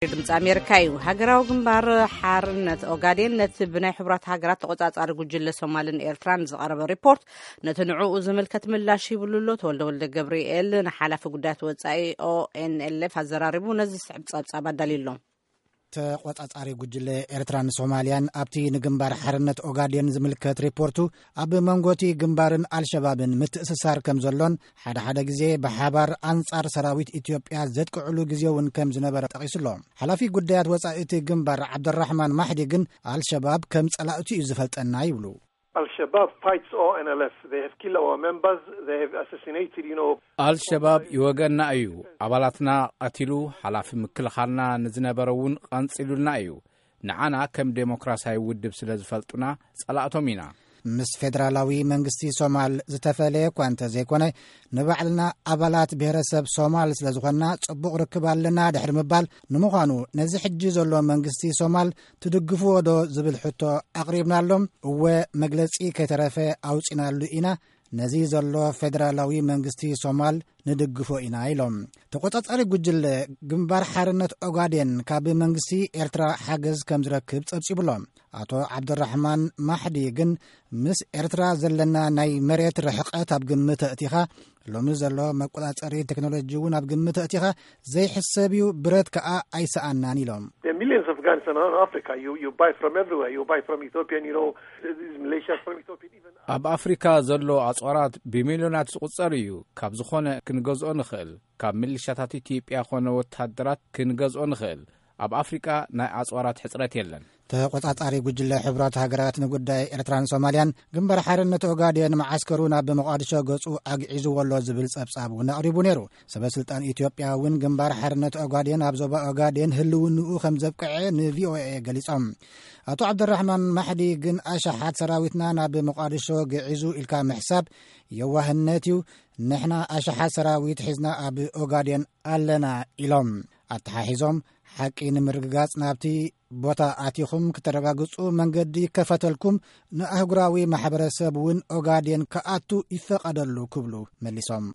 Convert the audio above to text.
ድምፂ ኣሜሪካ እዩ። ሃገራዊ ግንባር ሓርነት ኦጋዴን ነቲ ብናይ ሕቡራት ሃገራት ተቆፃፃሪ ጉጅለ ሶማልን ኤርትራን ዝቐረበ ሪፖርት፣ ነቲ ንዕኡ ዝምልከት ምላሽ ይብሉ ኣሎ። ተወልደ ወልደ ገብርኤል ንሓላፊ ጉዳያት ወፃኢ ኦኤንኤልኤፍ ኣዘራሪቡ ነዚ ዝስዕብ ፀብፃብ ኣዳልዩ ኣሎ። ተቆፃፃሪ ጉጅለ ኤርትራን ሶማልያን ኣብቲ ንግንባር ሓርነት ኦጋዴን ዝምልከት ሪፖርቱ፣ ኣብ መንጎቲ ግንባርን ኣልሸባብን ምትእስሳር ከም ዘሎን፣ ሓደ ሓደ ግዜ ብሓባር ኣንጻር ሰራዊት ኢትዮጵያ ዘጥቅዕሉ ግዜ እውን ከም ዝነበረ ጠቒሱ ኣሎ። ሓላፊ ጉዳያት ወጻኢ እቲ ግንባር ዓብደራሕማን ማሕዲ ግን፣ ኣልሸባብ ከም ጸላእቱ እዩ ዝፈልጠና ይብሉ። Al-Shabaab fights O N L F. They have killed our members. They have assassinated, you know. ኣልሸባብ ይወገና እዩ። ኣባላትና ቀቲሉ፣ ሓላፊ ምክልኻልና ንዝነበረ እውን ቐንጺሉልና እዩ። ንዓና ከም ዴሞክራሲያዊ ውድብ ስለ ዝፈልጡና ጸላእቶም ኢና። ምስ ፌደራላዊ መንግስቲ ሶማል ዝተፈለየ እኳ እንተ ዘይኮነ፣ ንባዕልና ኣባላት ብሔረሰብ ሶማል ስለ ዝኾንና ጽቡቕ ርክብ ኣለና ድሕሪ ምባል፣ ንምዃኑ ነዚ ሕጂ ዘሎ መንግስቲ ሶማል ትድግፍዎ ዶ ዝብል ሕቶ ኣቕሪብናሎም። እወ፣ መግለጺ ከይተረፈ ኣውጺናሉ ኢና። ነዚ ዘሎ ፌደራላዊ መንግስቲ ሶማል ንድግፎ ኢና ኢሎም። ተቆጻጻሪ ጉጅለ ግንባር ሓርነት ኦጋዴን ካብ መንግስቲ ኤርትራ ሓገዝ ከም ዝረክብ ጸብጺቡ ኣሎ። ኣቶ ዓብደራሕማን ማሕዲ ግን፣ ምስ ኤርትራ ዘለና ናይ መሬት ርሕቀት ኣብ ግምት ኣእቲኻ፣ ሎሚ ዘሎ መቆጻጸሪ ቴክኖሎጂ እውን ኣብ ግምት ኣእቲኻ፣ ዘይሕሰብ እዩ፣ ብረት ከኣ ኣይሰኣናን ኢሎም። There are millions of guns around Africa. You, you buy from everywhere. You buy from Ethiopian, you know, these militias from Ethiopian, even ኣብ ኣፍሪካ ዘሎ ኣጽዋራት ብሚልዮናት ዝቑጸር እዩ። ካብ ዝኾነ ክንገዝኦ ንኽእል። ካብ ሚሊሻታት ኢትዮጵያ ኾነ ወታደራት ክንገዝኦ ንኽእል። ኣብ ኣፍሪቃ ናይ ኣጽዋራት ሕጽረት የለን። ተቆጻጻሪ ጉጅለ ሕቡራት ሃገራት ንጉዳይ ኤርትራን ሶማልያን፣ ግንባር ሓርነት ኦጋዴን መዓስከሩ ናብ መቓድሾ ገጹ ኣግዒዝዎ ኣሎ ዝብል ጸብጻብ እውን ኣቕሪቡ ነይሩ። ሰበ ስልጣን ኢትዮጵያ እውን ግንባር ሓርነት ኦጋዴን ኣብ ዞባ ኦጋዴን ህልውንኡ ከም ዘብቅዐ ንቪኦኤ ገሊጾም። ኣቶ ዓብደራሕማን ማሕዲ ግን፣ ኣሽሓት ሰራዊትና ናብ መቓድሾ ግዒዙ ኢልካ ምሕሳብ የዋህነት እዩ። ንሕና ኣሽሓት ሰራዊት ሒዝና ኣብ ኦጋዴን ኣለና ኢሎም። ኣተሓሒዞም፣ ሓቂ ንምርግጋጽ ናብቲ ቦታ ኣቲኹም ክተረጋግጹ መንገዲ ይከፈተልኩም፣ ንኣህጉራዊ ማሕበረሰብ እውን ኦጋዴን ክኣቱ ይፈቐደሉ ክብሉ መሊሶም።